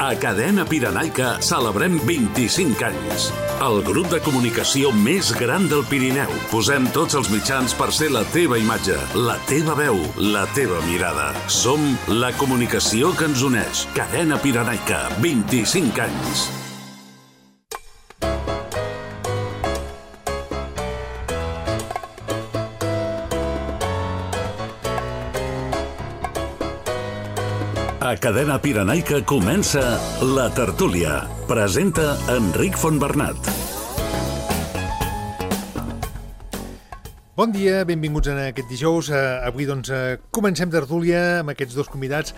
A Cadena Pirenaica celebrem 25 anys. El grup de comunicació més gran del Pirineu. Posem tots els mitjans per ser la teva imatge, la teva veu, la teva mirada. Som la comunicació que ens uneix. Cadena Pirenaica, 25 anys. A Cadena Pirenaica comença La Tertúlia. Presenta Enric Fontbernat. Bon dia, benvinguts en aquest dijous. Avui comencem Tertúlia amb aquests dos convidats.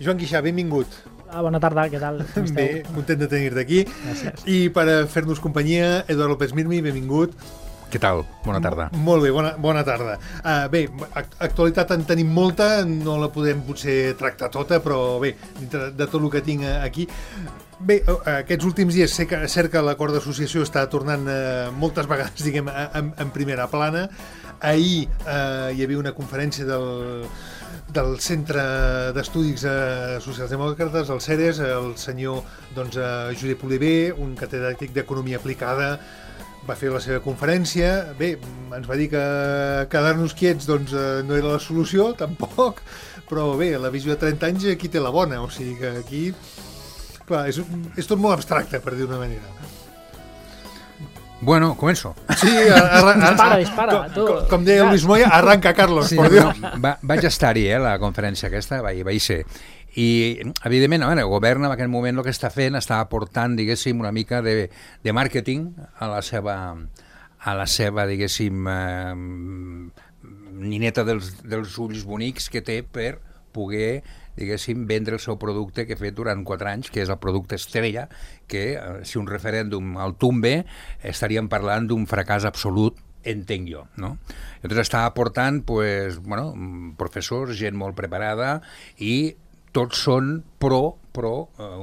Joan Guixà, benvingut. Bona tarda, què tal? Bé, content de tenir-te aquí. Gràcies. I per fer-nos companyia, Eduard López Mirmi, benvingut. Què tal? Bona tarda. Molt bé, bona tarda. Bé, actualitat en tenim molta, no la podem potser tractar tota, però bé, dintre de tot el que tinc aquí. Bé, aquests últims dies és cert que l'acord d'associació està tornant moltes vegades, diguem, en primera plana. Ahir hi havia una conferència del Centre d'Estudis Socials Demòcrates, el CEDES, el senyor Josep Oliver, un catedràtic d'Economia Aplicada, va fer la seva conferència. Bé, ens va dir que quedar-nos quiets no era la solució, tampoc, però bé, la visió de 30 anys aquí té la bona, o sigui que aquí, clar, és tot molt abstracte, per dir d'una manera. Bueno, començo. Sí, dispara. Com deia Luis Moya, arranca, Carlos, sí, por Dios. Vaig estar-hi, la conferència aquesta, vaig ser. I, evidentment, el govern en aquest moment el que està fent està aportant, diguéssim, una mica de màrqueting a la seva diguéssim, nineta dels ulls bonics que té per poder, diguéssim, vendre el seu producte que ha fet durant 4 anys, que és el producte estrella, que si un referèndum el tombe, estaríem parlant d'un fracàs absolut, entenc jo, no? Llavors està aportant, professors, gent molt preparada, i tots són pro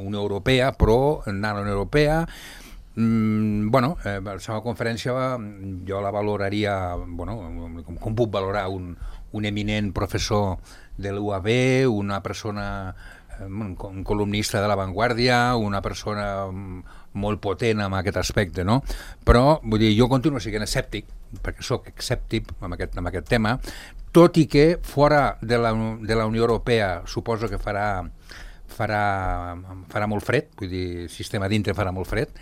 Unió Europea, pro anar a la Unió Europea. La seva conferència jo la valoraria, com puc valorar un eminent professor de l'UAB, una persona, un columnista de La Vanguardia, una persona molt potent en aquest aspecte, no? Però, vull dir, jo continuo sent escèptic, perquè sóc escèptic amb aquest tema, tot i que fora de la Unió Europea suposo que farà molt fred, vull dir, el sistema dintre farà molt fred,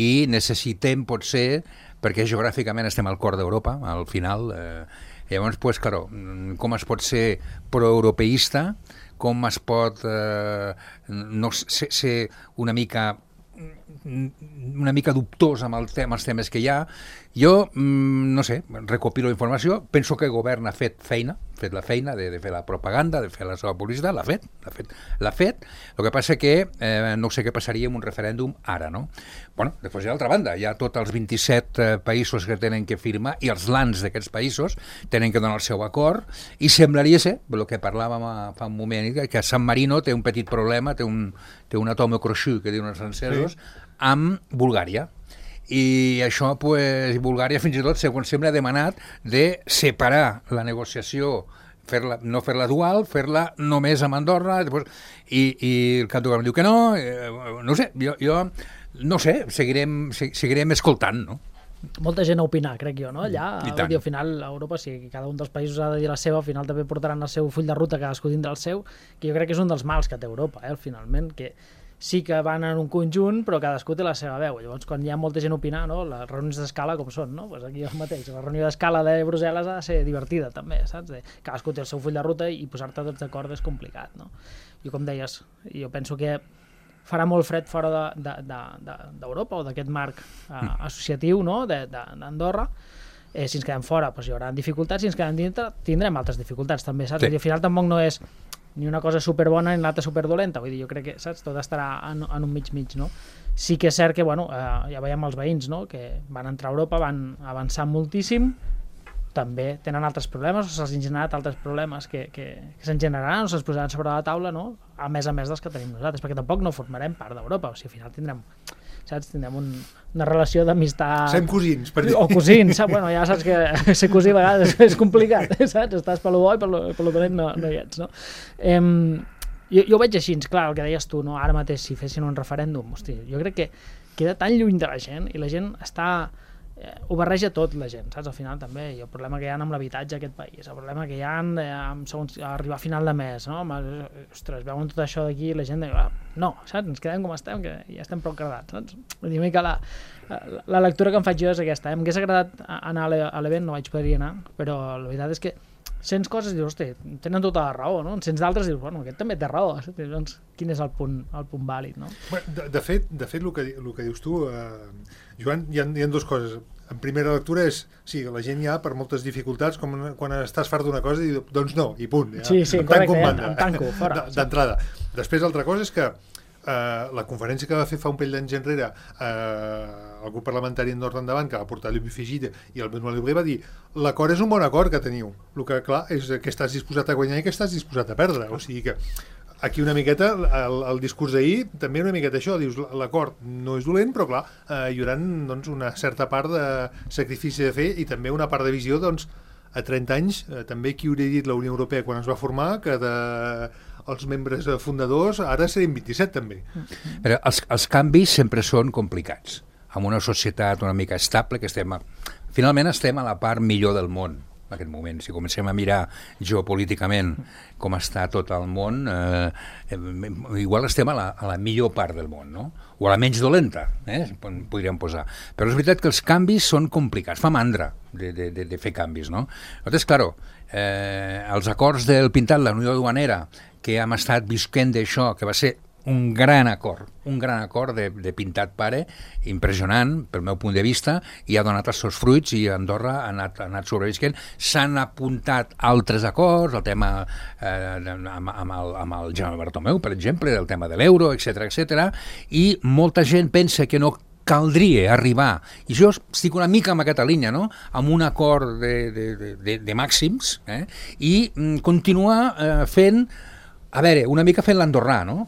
i necessitem, potser, perquè geogràficament estem al cor d'Europa, al final, llavors, claro, com es pot ser proeuropeista, com es pot ser una mica dubtós amb els temes que hi ha. Jo, no sé, recopilo informació, penso que el govern ha fet la feina de fer la propaganda, de fer la seva publicitat, l'ha fet. El que passa que no sé què passaria amb un referèndum ara, no? Després, d'altra banda, hi ha tots els 27 països que tenen que firmar i els lands d'aquests països tenen que donar el seu acord, i semblaria ser, el que parlàvem fa un moment, que San Marino té un petit problema, té un atome croixut, que diuen els francesos, amb Bulgària. I això, Bulgària fins i tot, segons sembla, ha demanat de separar la negociació, no fer-la dual, fer-la només amb Andorra, i el cap de govern diu que no. No sé, jo no sé, seguirem escoltant, no? Molta gent a opinar, crec jo, no? Allà, al final, a Europa, si cada un dels països ha de dir la seva, al final també portaran el seu full de ruta, cadascú tindrà el seu, que jo crec que és un dels mals que té Europa, finalment, que sí que van en un conjunt, però cadascú té la seva veu. Llavors, quan hi ha molta gent a opinar, no? Les reunions d'escala com són, no? Aquí el mateix. La reunió d'escala de Brussel·les ha de ser divertida, també, saps? Cadascú té el seu full de ruta i posar-te tots d'acord és complicat, no? I com deies, jo penso que farà molt fred fora d'Europa o d'aquest marc associatiu, no? d'Andorra. Si ens quedem fora, hi haurà dificultats, si ens quedem dintre, tindrem altres dificultats, també, saps? Sí. I al final tampoc no és ni una cosa superdona ni l'altra superdolenta, vull dir, jo crec que, saps, tot estarà en un mig, no? Sí que és cert que, ja veiem els veïns, no?, que van entrar a Europa, van avançar moltíssim, també tenen altres problemes, o se'ls han generat altres problemes que se'n generaran o se'ns posaran sobre la taula, no?, a més dels que tenim nosaltres, perquè tampoc no formarem part d'Europa, o sigui, al final tindrem saps? Tindrem una relació d'amistat... Sem cosins, per dir. O cosins, saps? Bueno, ja saps que ser cosí a vegades és complicat, saps? Estàs per lo bo i per lo dolent no hi ets, no? Jo ho veig així, clar, el que deies tu, no? Ara mateix si fessin un referèndum, hosti, jo crec que queda tan lluny de la gent i la gent està... ho barreja tot la gent, saps? Al final també, i el problema que hi ha amb l'habitatge a aquest país, el problema que hi ha segons arribar a final de mes, no? Ostres, veuen tot això d'aquí i la gent diu, no, saps? Ens quedem com estem, que ja estem prou cardats, saps? Vull dir que la lectura que em faig jo és aquesta. M'hagués agradat anar a l'event, no vaig poder anar, però la veritat és que sents coses i dius, hosti, tenen tota la raó, no? En sents d'altres i dius, bueno, aquest també té raó, doncs quin és el punt vàlid, no? De fet, el que dius tu, Joan, hi ha dues coses. En primera lectura és, sí, la gent ja per moltes dificultats, com quan estàs fart d'una cosa i dius, doncs no, i punt. Ja, sí, correcte, em tanco, fora. D'entrada. Després, altra cosa és que la conferència que va fer fa un parell d'anys enrere el grup parlamentari Andorra Endavant, que va portar l'Ubi Figida i el Benoît Libre, va dir l'acord és un bon acord que teniu. El que, clar, és que estàs disposat a guanyar i que estàs disposat a perdre. O sigui que aquí una miqueta, el discurs d'ahir, també una miqueta això, dius, l'acord no és dolent, però clar, hi haurà doncs, una certa part de sacrifici de fer i també una part de visió, doncs, a 30 anys, també qui hauria dit la Unió Europea quan es va formar, que els membres fundadors ara serien 27 també. Però els canvis sempre són complicats. En una societat una mica estable, que finalment estem a la part millor del món en aquest moment. Si comencem a mirar geopolíticament com està tot el món, igual estem a la millor part del món, no? O a la menys dolenta, podríem posar. Però és veritat que els canvis són complicats, fa mandra de fer canvis, no? Llavors, claro, els acords del Pintat, la Unió Duanera, que hem estat visquent d'això, que va ser un gran acord de Pintat pare, impressionant pel meu punt de vista, i ha donat els seus fruits i Andorra ha anat sobrevisquent. S'han apuntat altres acords, el tema amb el Jaume Bartomeu, per exemple, el tema de l'euro, etc, i molta gent pensa que no caldria arribar, i jo estic una mica en aquesta línia, no? Amb un acord de màxims, i continuar fent, a veure, una mica fent l'andorrà, no?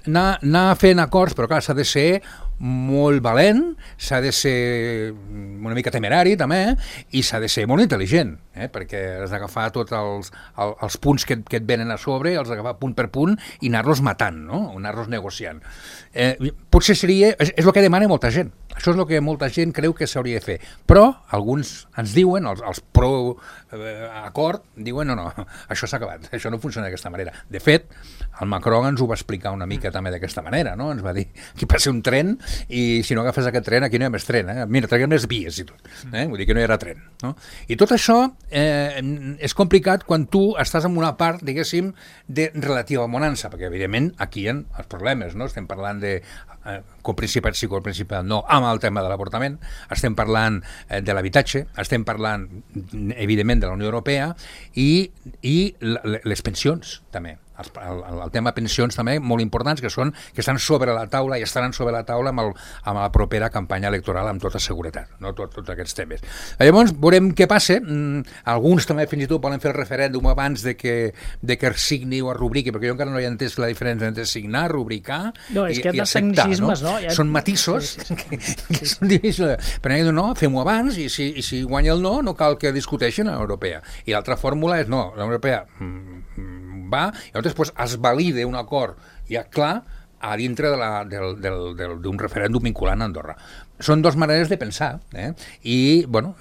Anar fent acords, però clar, s'ha de ser molt valent, s'ha de ser una mica temerari també, i s'ha de ser molt intel·ligent, perquè has d'agafar tots els punts que et venen a sobre, els d'agafar punt per punt i anar-los matant, no? Anar-los negociant. Potser seria, és el que demana molta gent, això és el que molta gent creu que s'hauria de fer, però alguns ens diuen, els pro-acord, diuen no, això s'ha acabat, això no funciona d'aquesta manera. De fet, el Macron ens ho va explicar una mica també d'aquesta manera, no? Ens va dir que passa un tren i si no agafes aquest tren, aquí no hi ha més tren, mira, traguem més vies i tot, vull dir que no hi haurà tren, no? I tot això és complicat quan tu estàs en una part, diguéssim, de relativa bonança, perquè evidentment aquí hi ha els problemes, no? Estem parlant de coprincipat sí, coprincipat no, amb el tema de l'avortament, estem parlant de l'habitatge, estem parlant evidentment de la Unió Europea i les pensions també. El tema pensions també molt importants que estan sobre la taula i estaran sobre la taula amb la propera campanya electoral amb tota seguretat, no? Tots aquests temes. Llavors veurem què passa. Alguns també fins i tot volen fer el referèndum abans de que es signi o es rubriqui, perquè jo encara no he entès la diferència entre signar, rubricar i acceptar, no? Són matisos que són difícils. Però no, fem-ho abans i si guanya el no cal que discuteixin a l'europea. I l'altra fórmula és no, l'europea va, i llavors es valida un acord ja clar a dintre d'un referèndum vinculant a Andorra. Són dues maneres de pensar, i, bueno,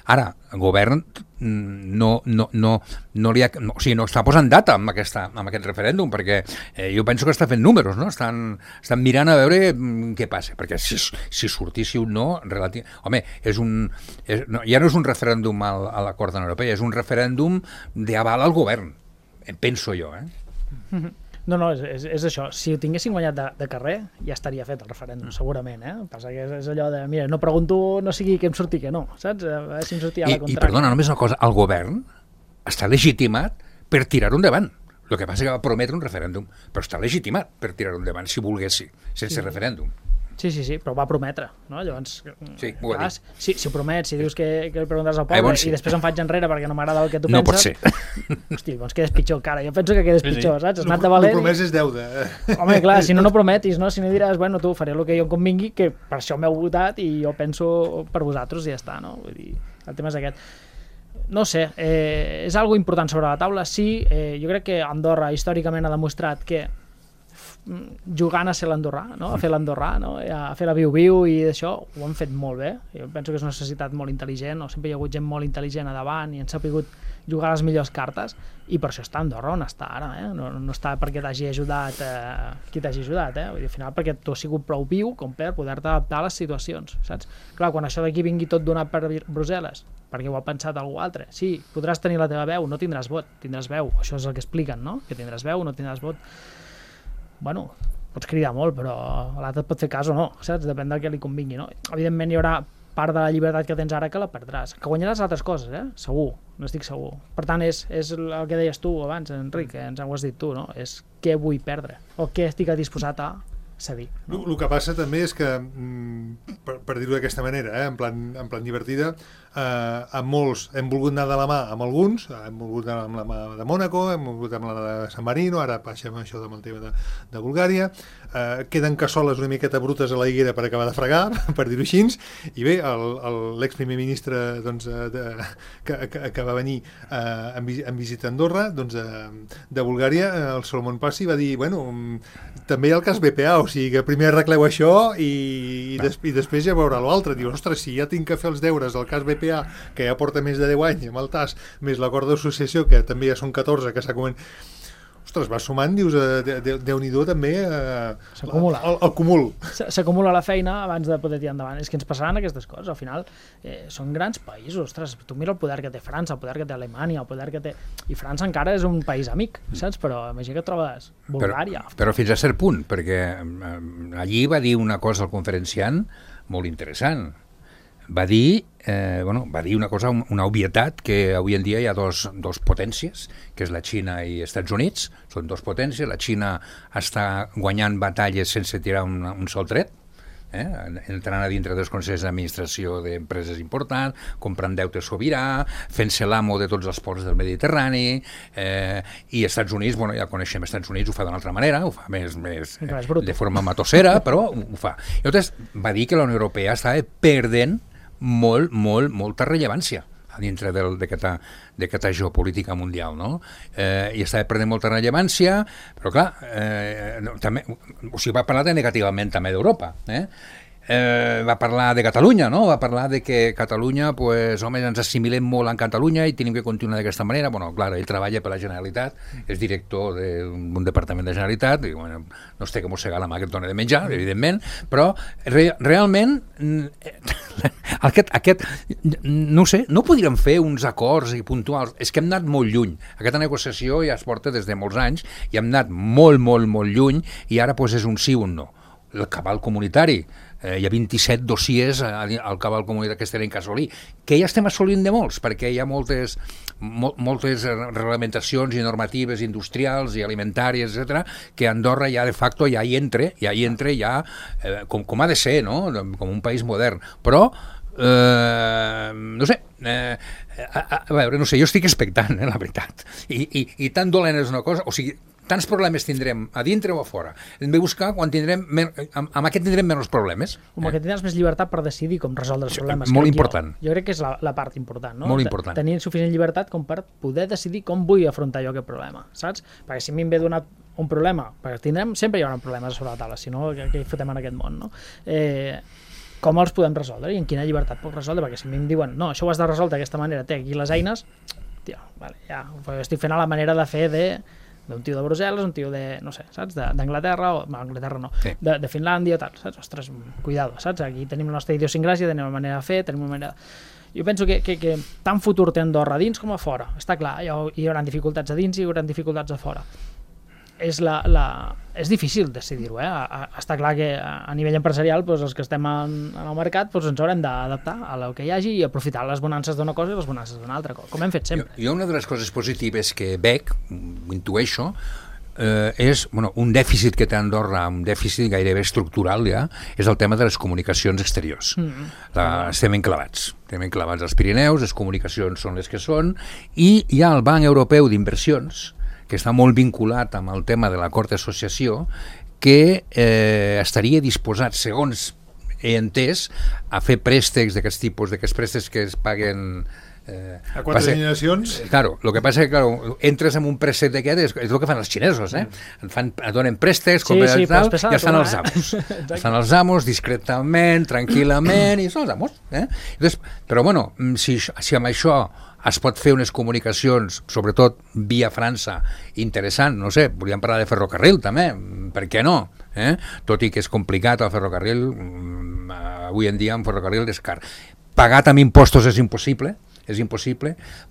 ara, el govern no està posant data amb aquest referèndum, perquè jo penso que està fent números, no? Estan mirant a veure què passa, perquè si sortissi un no, home, ja no és un referèndum a l'acord de la Unió Europea, és un referèndum d'aval al govern, penso jo, No, és això. Si ho tinguessin guanyat de carrer, ja estaria fet el referèndum, segurament, Passa que és allò de, mira, no pregunto, no sigui que em surti que no, saps? A veure si em sortia a la contrària. I perdona, només una cosa, el govern està legitimat per tirar-ho endavant. El que passa que va prometre un referèndum, però està legitimat per tirar-ho endavant, si volguessi, sense referèndum. Sí, però va prometre, no? Llavors, sí, ho ha dit. Si ho promets, si dius que li preguntaràs al poble i després em faig enrere perquè no m'agrada el que tu penses... No pot ser. Hosti, doncs quedes pitjor encara. Jo penso que quedes pitjor, saps? Has anat de valent... No promès és deuda. Home, clar, si no prometis, no? Si no diràs, bueno, tu faré el que jo em convingui, que per això m'heu votat i jo penso per vosaltres i ja està, no? Vull dir, el tema és aquest. no sé, és algo important sobre la taula, sí, jo crec que Andorra històricament ha demostrat que jugant a ser l'andorrà, no? A fer l'andorrà, no? A fer la viu-viu i això ho han fet molt bé. Jo penso que és una societat molt intel·ligent, sempre hi ha hagut gent molt intel·ligent a davant i han sabut jugar les millors cartes, i per això està a Andorra on està ara, no està perquè t'hagi ajudat qui t'hagi ajudat, vull dir, al final perquè tu has sigut prou viu com per poder-te adaptar a les situacions, saps? Clar, quan això d'aquí vingui tot donat per Brussel·les, perquè ho ha pensat algú altre, sí, podràs tenir la teva veu, no tindràs vot, tindràs veu, això és el que expliquen, no? Que tindràs veu, no tindràs vot. Bueno, pots cridar molt, però l'altre et pot fer cas o no, saps? Depèn del que li convingui, no? Evidentment hi haurà part de la llibertat que tens ara que la perdràs. Que guanyaràs altres coses, segur, n'estic segur. Per tant, és el que deies tu abans, Enric, que ens ho has dit tu, no? És què vull perdre, o què estic disposat a cedir. No? El que passa també és que, per dir-ho d'aquesta manera, en plan divertida, amb molts hem volgut anar de la mà amb alguns, hem volgut anar amb la mà de Mònaco, hem volgut amb la de San Marino, ara passem això amb el tema de Bulgària, queden cassoles una miqueta brutes a la higuera per acabar de fregar, per dir-ho així, i bé, l'ex-primer ministre que va venir en visita a Andorra, de Bulgària, el Solomon Passi, va dir, bueno, també hi ha el cas BPA, o sigui que primer arregleu això i després ja veurà l'altre. Diu, ostres, si ja tinc que fer els deures del cas BPA, que ja porta més de 10 anys amb el TAS, més l'acord d'associació, que també ja són 14, que s'ha començat... Ostres, vas sumant, dius, Déu-n'hi-do també s'acumula. El cúmul. S'acumula la feina abans de poder tirar endavant. És que ens passaran aquestes coses. Al final, són grans països. Ostres, tu mira el poder que té França, el poder que té Alemanya, el poder que té... I França encara és un país amic, saps? Però imagina que trobes Bulgària. Però fins a cert punt, perquè allí va dir una cosa el conferenciant molt interessant. Va dir una cosa, una obvietat, que avui en dia hi ha dos potències, que és la Xina i els Estats Units, són dos potències, la Xina està guanyant batalles sense tirar un sol tret, entrant a dintre dels consells d'administració d'empreses importants, comprant deute sobirà, fent-se l'amo de tots els ports del Mediterrani, i els Estats Units, ja coneixem els Estats Units, ho fa d'una altra manera, ho fa més de forma matossera, però ho fa. I llavors va dir que la Unió Europea estava perdent molta rellevància a dintre d'aquesta geopolítica mundial, no? I estava perdent molta rellevància, però clar, també, o sigui, va parlar negativament també d'Europa, va parlar de Catalunya, no? Va parlar de que Catalunya, pues, home, ens assimilem molt en Catalunya i tenim que continuar d'aquesta manera. Bueno, clar, ell treballa per la Generalitat, és director d'un departament de Generalitat, i, bueno, no es té que mossegar la mà que et dona de menjar, evidentment, però realment no sé, no podríem fer uns acords i puntuals. És que hem anat molt lluny. Aquesta negociació ja es porta des de molts anys i hem anat molt lluny, i ara pues, és un sí o un no. El cabal comunitari, hi ha 27 dossiers al cabal comunitari que es tenen que assolir, que ja estem assolint de molts, perquè hi ha moltes reglamentacions i normatives industrials i alimentàries, etc., que Andorra ja de facto ja hi entra com ha de ser, no? Com un país modern, però no sé, a veure, no sé, jo estic expectant, la veritat, i tan dolent és una cosa, o sigui, tants problemes tindrem a dintre o a fora. Hem de buscar quan tindrem... Amb aquest tindrem menys problemes. Com que tindràs més llibertat per decidir com resoldre els problemes. Molt important. Jo crec que és la part important, no? Molt important. Tenir suficient llibertat com per poder decidir com vull afrontar jo aquest problema, saps? Perquè si a mi em ve donat un problema, perquè sempre hi haurà problemes sobre la taula, si no, què hi fotem en aquest món, no? Com els podem resoldre i en quina llibertat puc resoldre? Perquè si a mi em diuen, no, això ho has de resoldre d'aquesta manera, té aquí les eines, tio, vale, ja, ho estic fent a la manera de fer d'un tio de Brussel·les, un tio de, no sé, saps, d'Anglaterra, o Anglaterra no, sí. de Finlàndia, tal, saps? Ostres, cuidado, saps? Aquí tenim la nostra idiosincràsia, tenim una manera de fer, tenim una manera... Jo penso que tant futur té Andorra a dins com a fora. Està clar, hi haurà dificultats a dins i hi haurà dificultats a fora. És difícil decidir-ho, Està clar que a nivell empresarial doncs, els que estem en el mercat doncs, ens haurem d'adaptar a el que hi hagi i aprofitar les bonances d'una cosa i les bonances d'una altra, com hem fet sempre. Jo una de les coses positives que veig, ho intueixo, és un dèficit que té Andorra, un dèficit gairebé estructural ja, és el tema de les comunicacions exteriors. Estem enclavats als Pirineus, les comunicacions són les que són, i hi ha el Banc Europeu d'Inversions, que està molt vinculat amb el tema de l'acord d'associació, que estaria disposat, segons he entès, a fer préstecs d'aquests tipus, d'aquests préstecs que es paguen A 4 generacions... Claro, lo que passa és que claro, entres en un préstec d'aquest, és el que fan els xinesos, et donen préstecs, i ja estan els amos. Estan els amos discretament, tranquil·lament, i són els amos. Entonces, però bueno, si amb això es pot fer unes comunicacions, sobretot via França, interessant, no sé, volíem parlar de ferrocarril també, per què no? Tot i que és complicat el ferrocarril, avui en dia un ferrocarril és car. Pagat amb impostos és impossible,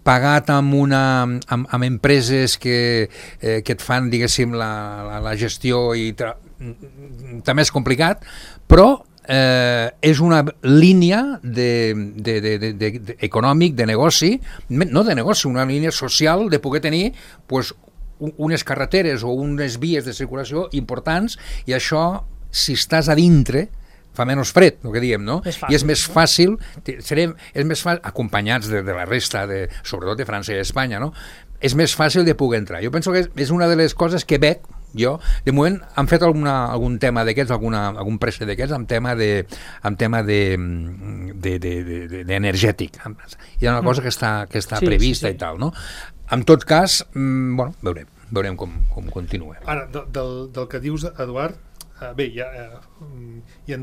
pagat amb empreses que et fan, diguéssim, la gestió i també és complicat, però és una línia econòmic, de negoci, no de negoci, una línia social de poder tenir pues, unes carreteres o unes vies de circulació importants, i això, si estàs a dintre, fa menys fred, el que diem, no? I és més fàcil, acompanyats de la resta, sobretot de França i Espanya, no? És més fàcil de poder entrar. Jo penso que és una de les coses que veig jo. De moment han fet algun tema d'aquests, algun préstec d'aquests amb tema d'energètic. Hi ha una cosa que està prevista i tal, no? En tot cas, bueno, veurem com continua. Ara, del que dius, Eduard, bé, hi ha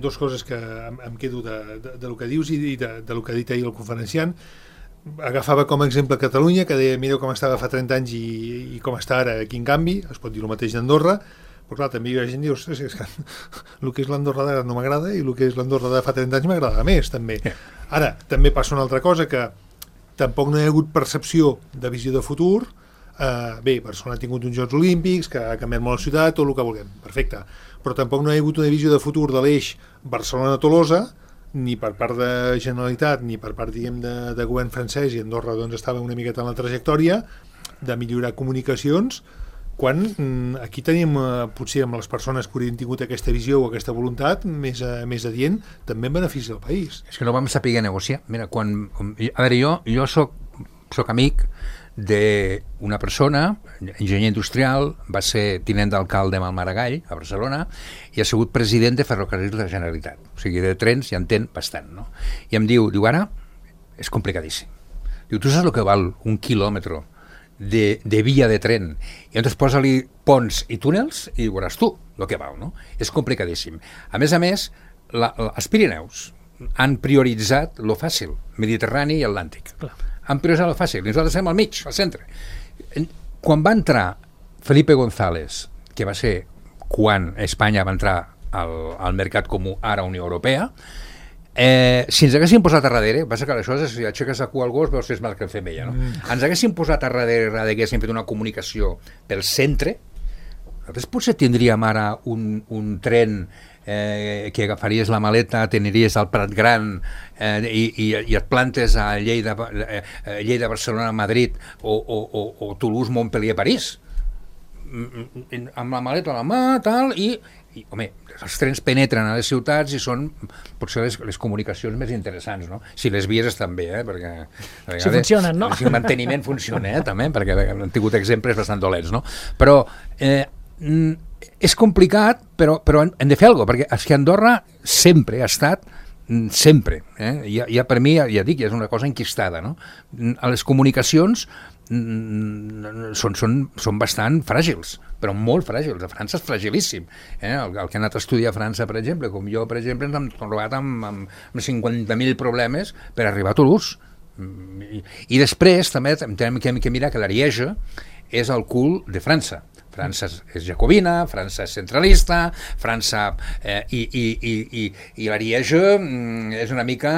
dues coses que em quedo del que dius i del que ha dit ahir el conferenciant. Agafava com a exemple Catalunya, que deia, mireu com estava fa 30 anys i com està ara, quin canvi. Es pot dir el mateix d'Andorra, però clar, també hi ha gent que diu, és que el que és l'Andorra d'ara no m'agrada i el que és l'Andorra de fa 30 anys m'agrada més, també. Ara, també passa una altra cosa, que tampoc no hi ha hagut percepció de visió de futur. Bé, Barcelona ha tingut uns Jocs Olímpics, que ha canviat molt la ciutat, tot el que vulguem, perfecte, però tampoc no hi ha hagut una visió de futur de l'eix Barcelona-Tolosa, ni per part de Generalitat ni per part, diguem, de govern francès, i Andorra doncs estava una miqueta en la trajectòria de millorar comunicacions, quan aquí tenim, potser amb les persones que haurien tingut aquesta visió o aquesta voluntat més adient, també en benefici del país. És que no vam saber negociar. Mira, a veure, jo soc amic d'una persona, enginyer industrial, va ser tinent d'alcalde amb el Maragall, a Barcelona, i ha sigut president de Ferrocarrils de la Generalitat. O sigui, de trens ja entén bastant, no? I em diu, ara és complicadíssim. Diu, tu saps el que val un quilòmetre de via de tren? I llavors posa-li ponts i túnels i veuràs tu el que val, no? És complicadíssim. A més, els Pirineus han prioritzat lo fàcil, Mediterrani i Atlàntic. Clar. Han prioritzat el fàcil, i nosaltres estem al mig, al centre. Quan va entrar Felipe González, que va ser quan Espanya va entrar al mercat comú, ara Unió Europea, si ens haguéssim posat a darrere, passa que aleshores si aixeques a cua al gos veus que és mal que femella, no? Ens haguéssim posat a darrere, haguéssim fet una comunicació pel centre, nosaltres potser tindríem ara un tren que agafaries la maleta, t'aniries al Prat Gran i et plantes a Lleida, Barcelona, Madrid o Toulouse, Montpellier, París, amb la maleta a la mà, tal, i home, els trens penetren a les ciutats i són potser les comunicacions més interessants, no? Si les vies estan bé, perquè si funcionen, no? Si el manteniment funciona, també, perquè han tingut exemples bastant dolents, no? Però és complicat, però hem de fer alguna cosa, perquè és que Andorra sempre ha estat, sempre, ja per mi, ja dic, és una cosa enquistada, no? Les comunicacions són bastant fràgils, però molt fràgils. A França és fragilíssim. El que ha anat a estudiar a França, per exemple, com jo, per exemple, ens hem trobat amb 50.000 problemes per arribar a Toulouse. I després també hem que mirar que l'Ariège és el cul de França. França és jacobina, França és centralista, França i l'Ariège és una mica...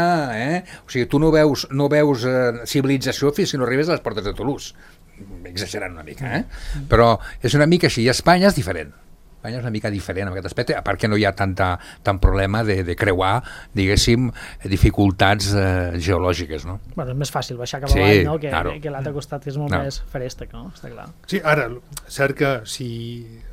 O sigui, tu no veus civilització fins que no arribes a les portes de Toulouse. Exagerant una mica, però és una mica així. I Espanya és diferent. Espanya és una mica diferent en aquest aspecte, a part que no hi ha tant problema de creuar, diguéssim, dificultats geològiques, no? Bueno, és més fàcil baixar cap avall, no? Que l'altre costat, que és molt més ferèstec, no? Està clar. Sí, ara, cert que si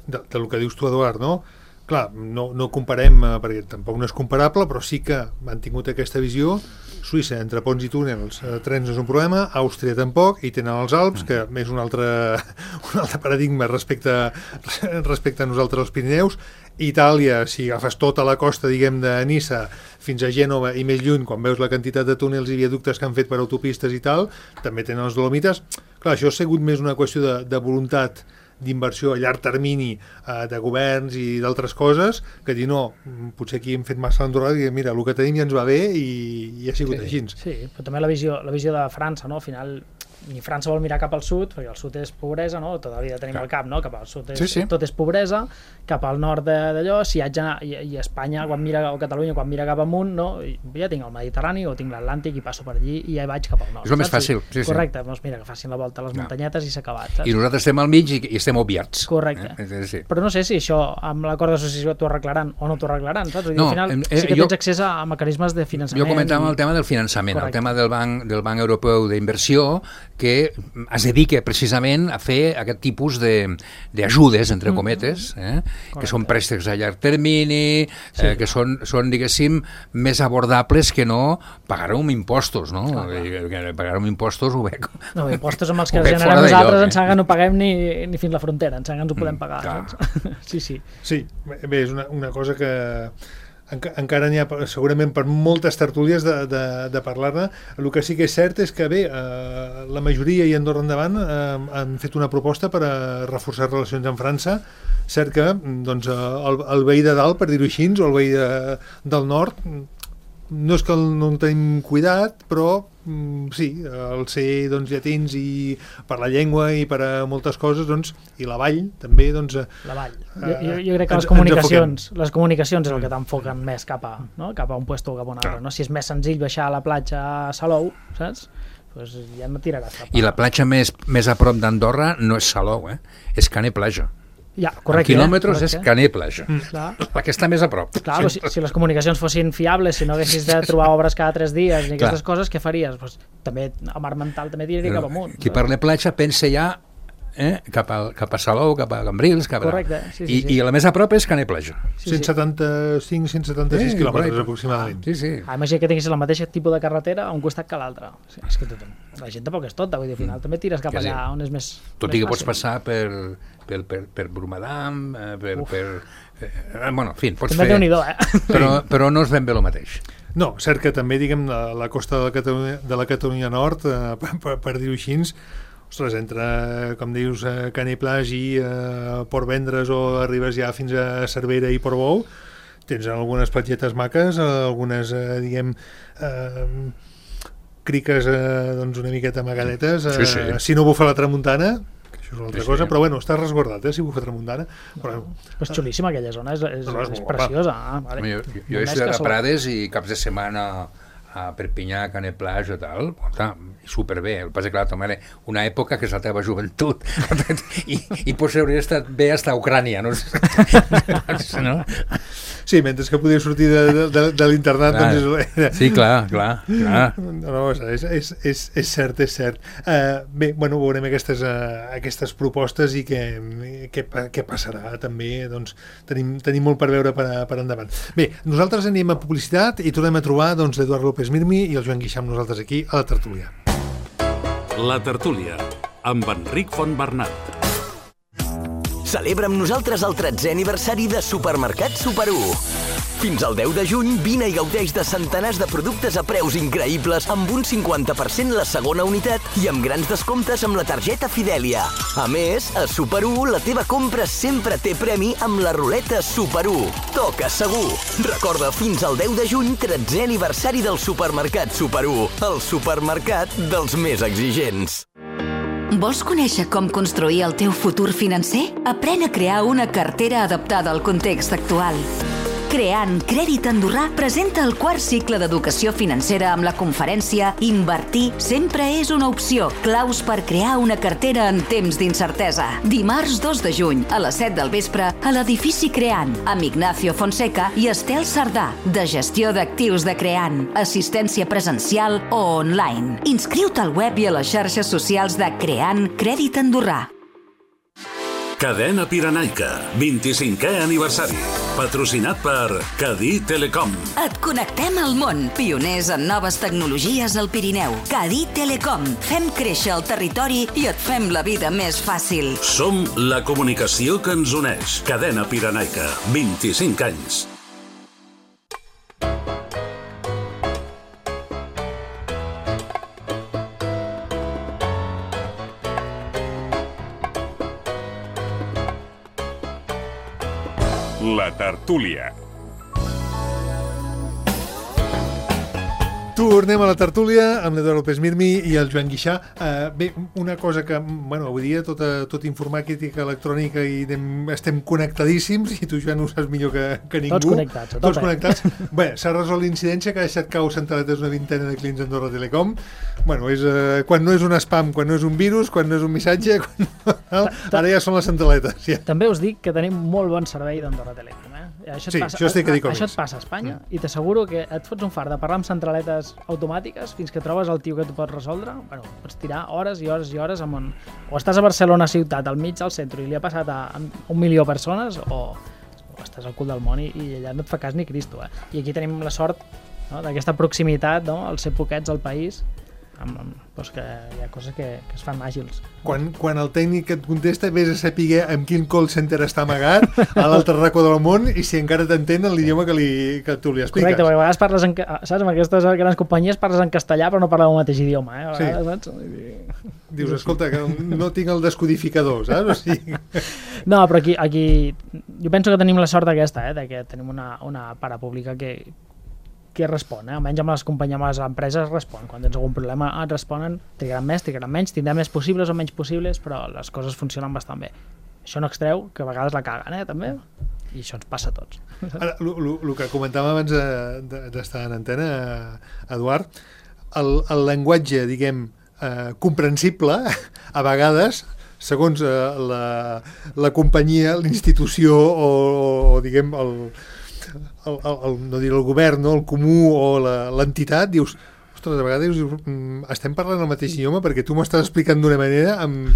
del que dius tu, Eduard, no? Clar, no comparem, perquè tampoc no és comparable, però sí que han tingut aquesta visió. Suïssa, entre ponts i túnels, trens no és un problema, Àustria tampoc, i tenen els Alps, que és un altre paradigma respecte a nosaltres els Pirineus. Itàlia, si agafes tota la costa, diguem, de Niça fins a Gènova i més lluny, quan veus la quantitat de túnels i viaductes que han fet per autopistes i tal, també tenen els Dolomites. Clar, això ha sigut més una qüestió de voluntat d'inversió a llarg termini de governs i d'altres coses, que dir no, potser aquí hem fet massa l'endorada i mira, el que tenim ja ens va bé i ha sigut així. Sí, però també la visió de França, no? Al final ni França vol mirar cap al sud, perquè el sud és pobresa, no? Tota la vida tenim al cap, no? Cap al sud tot és pobresa, cap al nord d'allò, si haig d'anar, i Espanya quan mira, o Catalunya quan mira cap amunt, no? Ja tinc el Mediterrani o tinc l'Atlàntic i passo per allí i ja vaig cap al nord. És el més fàcil. Correcte, doncs mira, que facin la volta a les muntanyetes i s'ha acabat. I nosaltres estem al mig i estem obviats. Correcte. Però no sé si això amb l'acord d'associació t'ho arreglaran o no t'ho arreglaran, saps? No, al final sí que tens accés a mecanismes de finançament. Jo comentava el tema del finançament, el tema del Banc Europeu d'Inversió, que es dedica precisament a fer aquest tipus d'ajudes, entre cometes, que són préstecs a llarg termini, que són, diguéssim, més abordables que no pagar-ho amb impostos, no? Pagar-ho amb impostos ho veig. No, impostos amb els que generem nosaltres ens sembla que no paguem ni fins la frontera, ens sembla que ens ho podem pagar. Sí. Sí, bé, és una cosa que encara n'hi ha segurament per moltes tertúlies de parlar-ne. El que sí que és cert és que bé, la majoria i Andorra endavant han fet una proposta per a reforçar relacions amb França. Cert que doncs, el veí de dalt, per dir-ho així, o el veí del nord, no és que no en tenim cuidat, però sí, el ser doncs, llatins i per la llengua i per a moltes coses, doncs, i la vall també, doncs... La vall. Jo crec que les comunicacions és el que t'enfoquen més cap a un puesto o cap a un altre, no? Si és més senzill baixar a la platja a Salou, saps? Pues ja no tiraràs cap a... I la platja més a prop d'Andorra no és Salou, és Canet Plaja. Ja, correcte. Quilòmetres és Canet Plaja. La que està més a prop. Clar, si les comunicacions fossin fiables, si no haguessis de trobar obres cada 3 dies ni aquestes coses, què faries? Pues, també a Mar Mental també tiraria cap amunt. Qui parla platja pensa ja cap a Salou, cap a Cambrils, correcte, i la més a prop és Canet Plaja. 175-176 quilòmetres aproximadament. Imagina que tinguis el mateix tipus de carretera a un costat que l'altre. És que la gent tampoc és tota, vull dir, al final també tires cap allà on és més tot i que pots passar per Brumadam, bueno, en fi, pots fer... Però no és ben bé el mateix. No, cert que també, diguem, la costa de la Catalunya Nord, per dir-ho així, ostres, entre, com dius, Canet Plage i Port Vendres o arribes ja fins a Cervera i Portbou, tens algunes platgetes maques, algunes, diguem, criques doncs una miqueta amagadetes, si no bufa la tramuntana, que això és una altra cosa, però bueno, està resguardat, si bufa tramuntana. Però és xulíssima aquella zona, és preciosa. Jo he estudiat a Prades i caps de setmana a Perpinyà, Canet Plage i tal, superbé. El que passa que clar, també era una època que és la teva joventut i potser hauria estat bé fins a Ucrània, no? Sí, mentre que podia sortir de l'internat, doncs... Sí, clar. No, és cert. Bé, bueno, veurem aquestes propostes i què passarà també, doncs tenim molt per veure per endavant. Bé, nosaltres anem a publicitat i tornem a trobar doncs l'Eduard López Mirmi i el Joan Guixà amb nosaltres aquí a la tertúlia. La tertúlia, amb Enric Fontbernat. Celebra amb nosaltres el 13è aniversari de Supermercat Super 1. Fins al 10 de juny, vine i gaudeix de centenars de productes a preus increïbles amb un 50% la segona unitat i amb grans descomptes amb la targeta Fidèlia. A més, a Super 1 la teva compra sempre té premi amb la ruleta Super 1. Toca segur! Recorda, fins al 10 de juny, 13è aniversari del Supermercat Super 1, el supermercat dels més exigents. Vols conèixer com construir el teu futur financer? Aprèn a crear una cartera adaptada al context actual. Creant Crèdit Andorrà presenta el 4è cicle d'educació financera amb la conferència Invertir sempre és una opció, claus per crear una cartera en temps d'incertesa. Dimarts 2 de juny, a les 7 del vespre, a l'edifici Creant, amb Ignacio Fonseca i Estel Sardà, de gestió d'actius de Creant, assistència presencial o online. Inscriu-te al web i a les xarxes socials de Creant Crèdit Andorrà. Cadena Pirenaica, 25è aniversari. Patrocinat per Cadí Telecom. Et connectem al món. Pioners en noves tecnologies al Pirineu. Cadí Telecom. Fem créixer el territori i et fem la vida més fàcil. Som la comunicació que ens uneix. Cadena Pirenaica, 25 anys. La tertúlia. Tornem a la tertúlia amb l'Eduard López Mirmi i el Joan Guixà. Bé, una cosa que, bueno, avui dia tot informàtica electrònica i estem connectadíssims i tu, Joan, ho saps millor que ningú. Tots connectats. Tots connectats. Bé, s'ha resolt l'incidència que ha deixat cau centraletes una vintena de clients d'Andorra Telecom. Bueno, és, quan no és un spam, quan no és un virus, quan no és un missatge, ara ja són les centraletes. Ja. També us dic que tenim molt bon servei d'Andorra Telecom. Això et passa a Espanya i t'asseguro que et fots un fart de parlar amb centraletes automàtiques fins que trobes el tio que t'ho pot resoldre. Bueno, pots tirar hores i hores i hores o estàs a Barcelona ciutat, al mig del centre, i li ha passat a 1 milió de persones, o estàs al cul del món i allà no et fa cas ni Cristo. I aquí tenim la sort, no, d'aquesta proximitat, no, al ser poquets al país, doncs que hi ha coses que es fan àgils. Quan el tècnic et contesta, vés a saber en quin call center està amagat a l'altre racó del món i si encara t'entén l'idioma que tu li expliques. Correcte, perquè a vegades parles saps, amb aquestes grans companyies parles en castellà però no parles el mateix idioma, a vegades, saps? Dius, escolta, que no tinc el descodificador, saps? O sigui... No, però aquí jo penso que tenim la sort aquesta, de que tenim una parapública que respon, almenys amb les companyies, amb les empreses respon. Quan tens algun problema et responen, trigaran més, trigaran menys, tindran més possibles o menys possibles, però les coses funcionen bastant bé. Això no extreu que a vegades la caguen, també, i això ens passa a tots. Ara, el que comentàvem abans d'estar en antena, Eduard, el llenguatge, diguem, comprensible, a vegades, segons la companyia, l'institució o diguem, no dir el govern, no, el comú o l'entitat, dius, ostres, a vegades dius, estem parlant el mateix idioma perquè tu m'estàs explicant d'una manera amb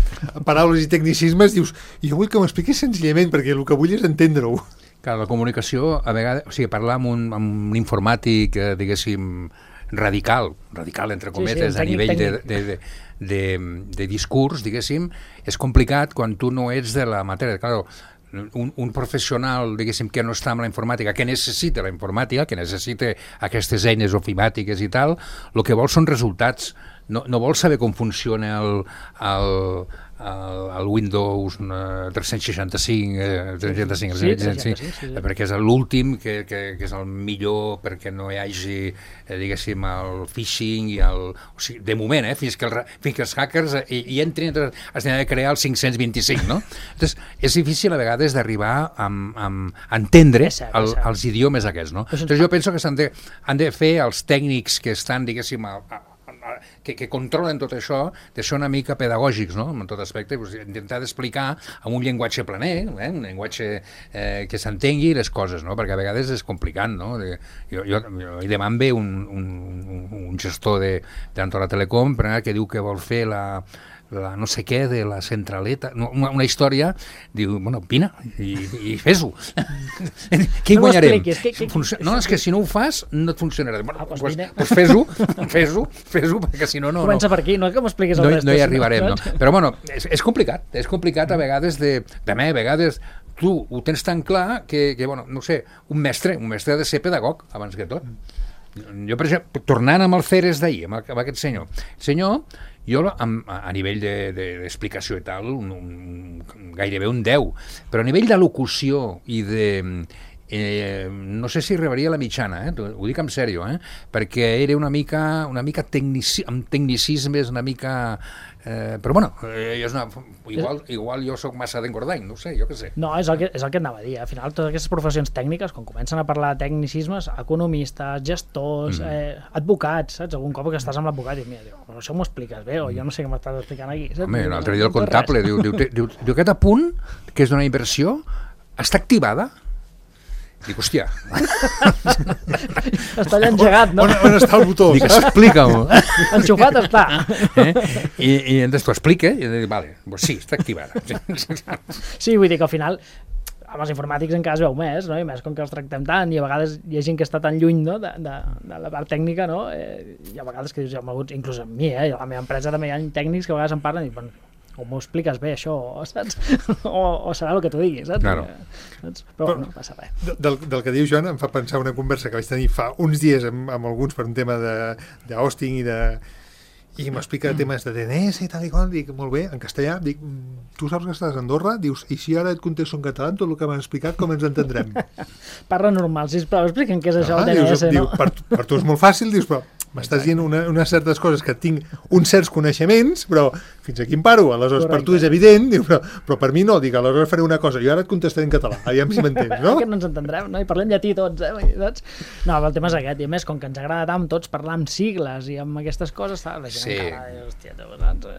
paraules i tecnicismes, dius, jo vull que m'expliquis senzillament perquè el que vull és entendre-ho. Clar, la comunicació, a vegades, o sigui, parlar amb un informàtic, diguéssim, radical entre cometes, a nivell de discurs, diguéssim, és complicat quan tu no ets de la matèria. Clar, un professional, diguéssim, que no està amb la informàtica, que necessita la informàtica, que necessita aquestes eines ofimàtiques i tal, el que vol són resultats. No vol saber com funciona el Windows 365, perquè és l'últim, que és el millor perquè no hi hagi, diguéssim, el phishing, o sigui, de moment, fins que els hackers hi entrin, has de crear el 525, no? Entonces, és difícil a vegades d'arribar a entendre els idiomes aquests, no? Entonces, jo penso que han de fer els tècnics que estan, diguéssim, que controlen tot això, de ser una mica pedagògics, no?, en tot aspecte, intentar d'explicar amb un llenguatge planer, un llenguatge que s'entengui les coses, no?, perquè a vegades és complicat, no? Jo demà em ve un gestor d'Andorra Telecom que diu que vol fer la no sé què de la centraleta, una història, diu, bueno, vine i fes-ho. Què hi guanyarem? No, és que si no ho fas no et funcionarà. Doncs fes-ho, perquè si no... Comença per aquí, no que m'expliquis el rest. No hi arribarem, no? Però bueno, és complicat a vegades també a vegades tu ho tens tan clar que bueno, no sé, un mestre ha de ser pedagog abans que tot. Jo, per exemple, tornant amb el Ceres d'ahir, amb aquest senyor, jo a nivell d'explicació i tal, gairebé un 10, però a nivell d'elocució i de... no sé si arribaria a la mitjana, ho dic en sèrio, perquè era una mica amb tecnicismes, una mica... però bueno, igual jo sóc massa d'engordany, no sé, jo què sé. No, és el que anava a dir. Al final, totes aquestes professions tècniques, quan comencen a parlar de tecnicismes, economistes, gestors, advocats, saps? Algun cop que estàs amb l'advocat i mira, això m'ho expliques bé, o jo no sé què m'estàs explicant aquí. Home, l'altre dia el comptable diu aquest apunt, que és d'una inversió, està activada? Dic, hòstia. Està allà engegat, no? On està el botó? Dic, explica-m'ho. Enxufat està. I entonces t'ho explica i dic, vale, pues sí, està activada. Sí, vull dir que al final amb els informàtics encara es veu més, no? I més com que els tractem tant i a vegades hi ha gent que està tan lluny, no? de la part tècnica, no? I a vegades que dius, inclús amb mi, a la meva empresa també hi ha tècnics que a vegades em parlen i diuen, o m'ho expliques bé això, saps? o serà el que tu diguis, saps? Claro. Però no passa res. Del que diu Joan em fa pensar una conversa que vaig tenir fa uns dies amb alguns per un tema d'hosting i m'explica temes de DNS i tal i qual, dic, molt bé, en castellà, dic, tu saps que estàs a Andorra? Dius, i si ara et contesto en català tot el que m'han explicat, com ens entendrem? Parla normal, sisplau, explica'm què és això del DNS, no? Diu, per tu és molt fàcil, dius, però m'estàs dient unes certes coses que tinc uns certs coneixements, però fins aquí em paro, aleshores per tu és evident, diu, però per mi no, dic, aleshores faré una cosa, jo ara et contestaré en català, aviam si m'entens, no? Que no ens entendrem, no? I parlem llatí tots, saps? No, el tema és aquest, i a més, com que ens agrada tant tots parlar amb sigles i amb aquestes coses, la gent encara, hòstia, saps?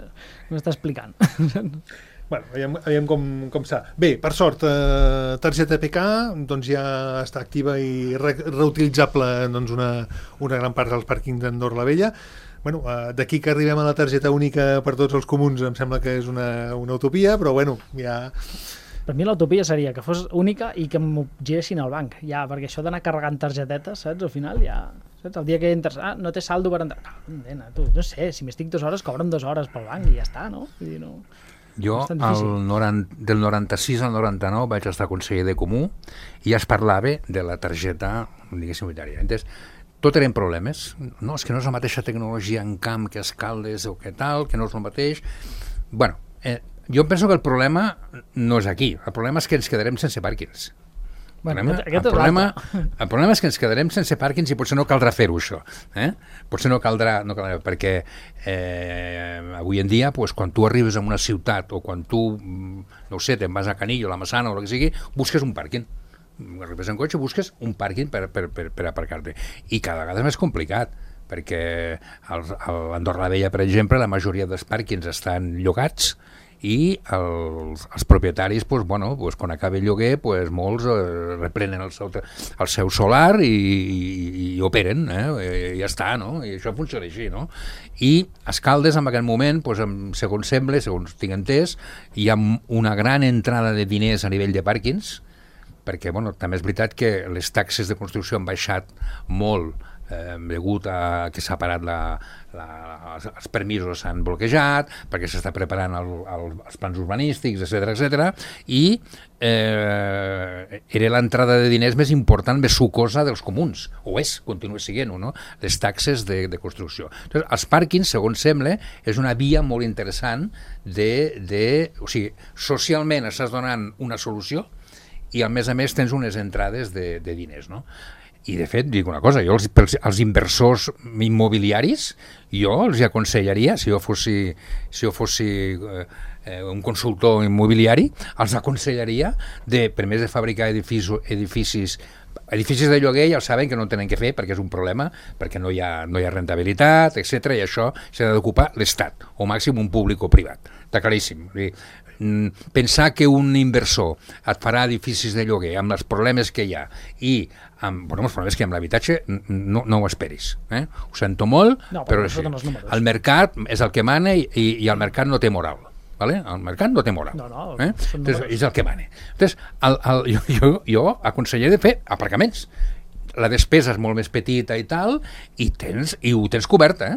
M'està explicant. Bueno, aviam com està. Bé, per sort, targeta PK doncs ja està activa i reutilitzable doncs, una gran part dels pàrquings d'Andorra la Vella. Bueno, d'aquí que arribem a la targeta única per tots els comuns em sembla que és una utopia, però bueno, ja... Per mi l'utopia seria que fos única i que m'ho giressin al banc, ja, perquè això d'anar carregant targetetes, saps? Al final ja... Saps? El dia que entres, no té saldo per entrar... No sé, si m'estic 2 hores, cobren 2 hores pel banc i ja està, no? Vull dir, no... Jo, del 96 al 99 vaig estar conseller de Comú i ja es parlava de la targeta, diguéssim, unitària. Entens? Tot eren problemes. No, és que no és la mateixa tecnologia en camp que Escaldes o que tal, que no és el mateix. Bueno, jo penso que el problema no és aquí. El problema és que ens quedarem sense pàrquings. El problema és que ens quedarem sense pàrquings i potser no caldrà fer-ho, això. Potser no caldrà perquè avui en dia, pues, quan tu arribes a una ciutat o quan tu, no ho sé, te'n vas a Canillo, a la Massana o el que sigui, busques un pàrquing. Arribes en cotxe, busques un pàrquing per aparcar-te. I cada vegada és més complicat, perquè a l'Andorra la Vella, per exemple, la majoria dels pàrquings estan llogats i els propietaris, pues, bueno, pues, quan acaba el lloguer, pues, molts reprenen el seu solar i operen, i ja està, no? I això funciona així, no? I Escaldes, en aquest moment, pues, segons sembla, segons tinc entès, hi ha una gran entrada de diners a nivell de pàrquings, perquè, bueno, també és veritat que les taxes de construcció han baixat molt degut a que s'ha parat els permisos s'han bloquejat, perquè s'està preparant els plans urbanístics, etc. I era l'entrada de diners més important, més sucosa dels comuns, o continua sent-ho, no? Les taxes de construcció. Entonces, els pàrquings, segons sembla, és una via molt interessant o sigui, socialment estàs donant una solució i a més tens unes entrades de diners, no? I de fet, dic una cosa, jo els inversors immobiliaris, jo els aconsellaria, si jo fos un consultor immobiliari, els aconsellaria primer de fabricar edificis de lloguer, ja saben que no tenen que fer perquè és un problema, perquè no hi ha rentabilitat, etc. I això s'ha d'ocupar l'Estat, o màxim un públic o privat. Està claríssim. Pensar que un inversor et farà edificis de lloguer amb els problemes que hi ha i amb els problemes que hi ha amb l'habitatge, no ho esperis. Ho sento molt, però el mercat és el que mana i el mercat no té moral. ¿Vale? El mercat no té moral. Entonces, és el que mana. Entonces, jo aconsellaria de fer aparcaments. La despesa és molt més petita i tal, i ho tens coberta.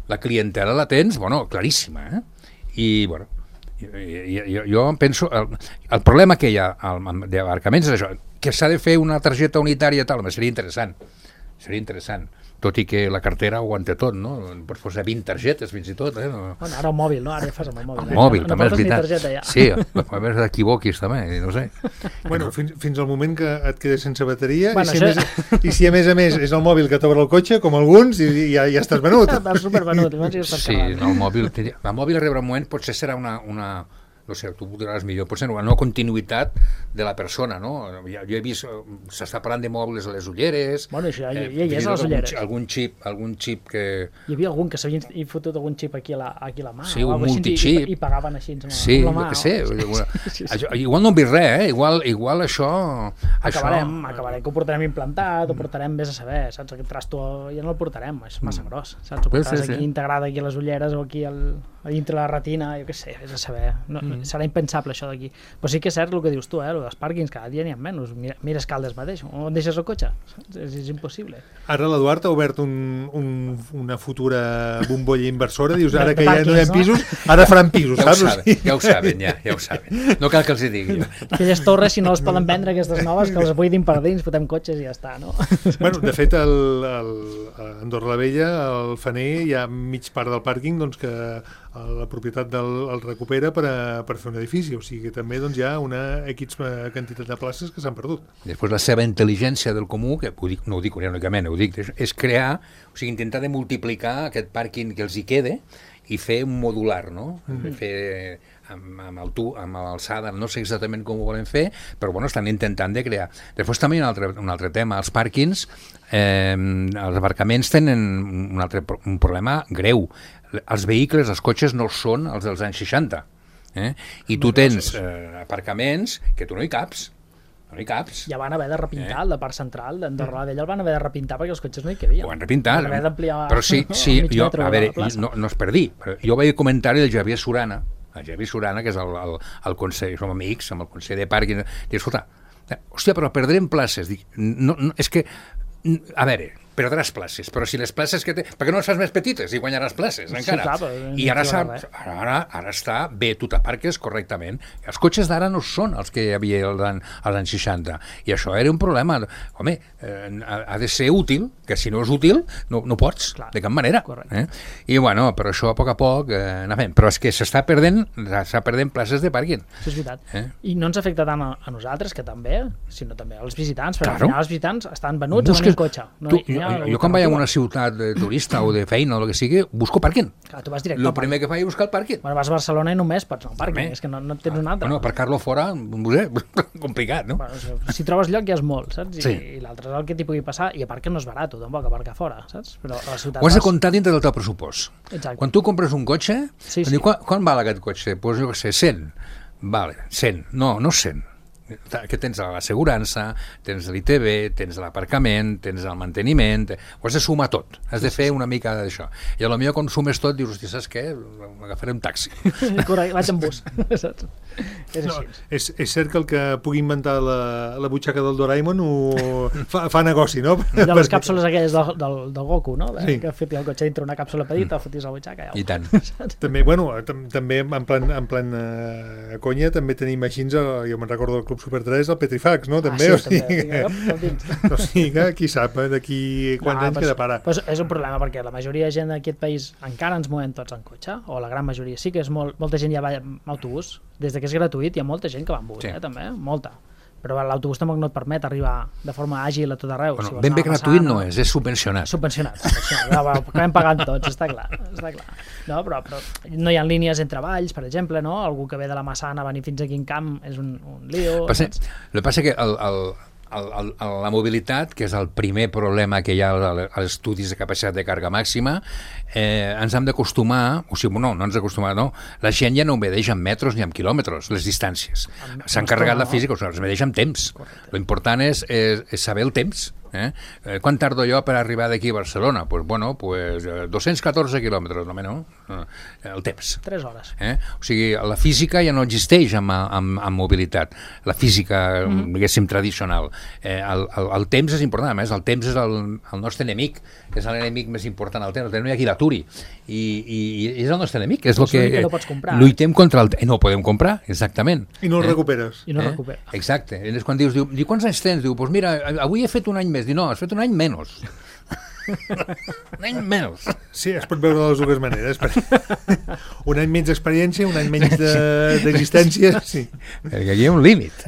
La clientela la tens, claríssima. I, jo penso... El problema que hi ha d'aparcaments és això, que s'ha de fer una targeta unitària i tal, seria interessant. Tot i que la cartera ho aguanta tot, no? Pots posar 20 targetes, fins i tot. Bueno, ara el mòbil, no? Ara ja fas amb el mòbil. El mòbil, també és veritat. Targeta, ja. Sí, a veure t'equivoquis també, no sé. Bueno, fins al moment que et quedes sense bateria, i si a més és el mòbil que t'obre el cotxe, com alguns, i ja estàs venut. Estàs supervenut. Sí, el mòbil arribarà un moment, potser serà una no sé, tu ho diràs millor, potser una continuïtat de la persona, no? Jo he vist, s'està parlant de mobles a les ulleres... Bueno, això ja hi és a les ulleres. Algun xip que... Hi havia algun que s'havia fotut algun xip aquí a la mà. Sí, un multichip. I pagaven així amb la mà. Sí, igual no hem vist res, igual això... Acabarem que ho portarem implantat, ho portarem més a saber, saps? Aquest trasto ja no el portarem, és massa gros, saps? Ho portaràs aquí integrat aquí a les ulleres o aquí a dintre la retina, jo què sé, és a saber. Serà impensable això d'aquí. Però sí que és cert el que dius tu, els pàrquings cada dia n'hi ha menys. Mira Escaldes mateix, on deixes el cotxe? És impossible. Ara l'Eduard ha obert una futura bombolla inversora, dius, ara que ja no hi ha pisos, ara faran pisos, saps? Ja ho saben. No cal que els hi digui. Aquelles torres, si no les poden vendre, aquestes noves, que les buidin per dins, fotem cotxes i ja està, no? Bueno, de fet, a Andorra la Vella, al Faner, hi ha mig part del pàrquing que la propietat el recupera per fer un edifici, o sigui que també hi ha una X quantitat de places que s'han perdut. Després la seva intel·ligència del comú, que no ho dic únicament, és crear, o sigui, intentar de multiplicar aquest pàrquing que els hi quede i fer un modular, no? Fer amb alçada, no sé exactament com ho volen fer, però bueno, estan intentant de crear. Després també hi ha un altre tema, els pàrquings, els aparcaments tenen un problema greu. Els vehicles, els cotxes no són els dels anys 60, i tu tens aparcaments que tu no hi caps. Ja van haver de repintar la part central d'Andorra la Vella, el van haver de repintar perquè els cotxes no hi cabien. Ho van repintar, però sí, jo, a veure, no és per dir, però jo vaig comentar del Javier Surana, que és el consell, som amics, amb el consell de pàrquing, i escolta, hòstia, però perdrem places. Dic, no, és que, a veure, perdràs places, però si les places que té... Per què no les fas més petites i guanyaràs places, encara? Sí, clar, i ara està bé, tu t'aparques correctament. Els cotxes d'ara no són els que hi havia als anys 60, i això era un problema. Home, ha de ser útil, que si no és útil, no pots, clar, de cap manera. I bueno, però això a poc anar fent. Però és que s'està perdent places de pàrquing. Això és veritat. I no ens afecta tant a nosaltres, que també, sinó també als visitants, perquè al final els visitants estan venuts en un cotxe. Jo quan vaig a una ciutat de turista o de feina o el que sigui, busco pàrquing. Clar, tu vas directe al primer que faig és buscar el pàrquing. Bueno, vas a Barcelona i només pots anar al pàrquing, és que no tens un altre. Bueno, aparcar-lo fora, complicat, no? Bueno, si trobes lloc ja és molt, saps? I l'altre és el que t'hi pugui passar, i a part que no és barat, tampoc, aparcar fora, saps? Però a la ciutat ho has de comptar dintre del teu pressupost. Exacte. Quan tu compres un cotxe, quan val aquest cotxe? Doncs jo què sé, 100. Vale, 100. No 100. Que tens l'assegurança, tens l'ITV, tens l'aparcament, tens el manteniment, ho has de sumar tot, has de fer una mica d'això. I potser quan sumes tot dius, hosti, saps què? Agafaré un taxi. Correcte, vaig en bus. És cert que el que pugui inventar la butxaca del Doraemon fa negoci, no? De les càpsules aquelles del Goku, no? Que fotis el cotxe dintre una càpsula petita, fotis la butxaca. I tant. També, bueno, també en plan conya, també tenim així, jo me'n recordo del Club Super 3, el Petrifax, no? També, o sigui que qui sap d'aquí quants anys queda parar. És un problema perquè la majoria de gent d'aquest país encara ens movem tots en cotxe, o la gran majoria. Sí que és molta gent ja va amb autobús, des que és gratuït hi ha molta gent que va amb bus, també, molta. Però l'autobús tampoc no et permet arribar de forma àgil a tot arreu. Bueno, ben bé gratuït no és subvencionat. Acabem pagant tots, està clar. No, però no hi ha línies entre valls, per exemple, no? Algú que ve de la Massana a venir fins aquí en camp és un lío. El que passa que la mobilitat, que és el primer problema que hi ha als estudis de capacitat de càrrega màxima, ens hem d'acostumar, o sigui, no ens d'acostumar, no, la gent ja no obedeix en metres ni en quilòmetres, les distàncies. S'han carregat la física, o sigui, els obedeix en temps. L'important és saber el temps. Quan tardo jo per arribar d'aquí a Barcelona? Pues 214 quilòmetres, no? El temps. 3 hores. O sigui, la física ja no existeix amb mobilitat. La física, diguéssim, tradicional. El temps és important, a més, el temps és el nostre enemic, és l'enemic més important, el temps no hi ha qui l'aturi. I és el nostre enemic, és el que no pots comprar. Lluitem contra el... No podem comprar, exactament. I no el recuperes. Exacte. És quan dius, quants anys tens? Diu, doncs mira, avui he fet un any més. Diu, no, has fet un any menys. Un any menys. Sí, es pot veure de les dues maneres. Un any menys d'experiència, un any menys d'existència, sí. Perquè aquí hi ha un límit.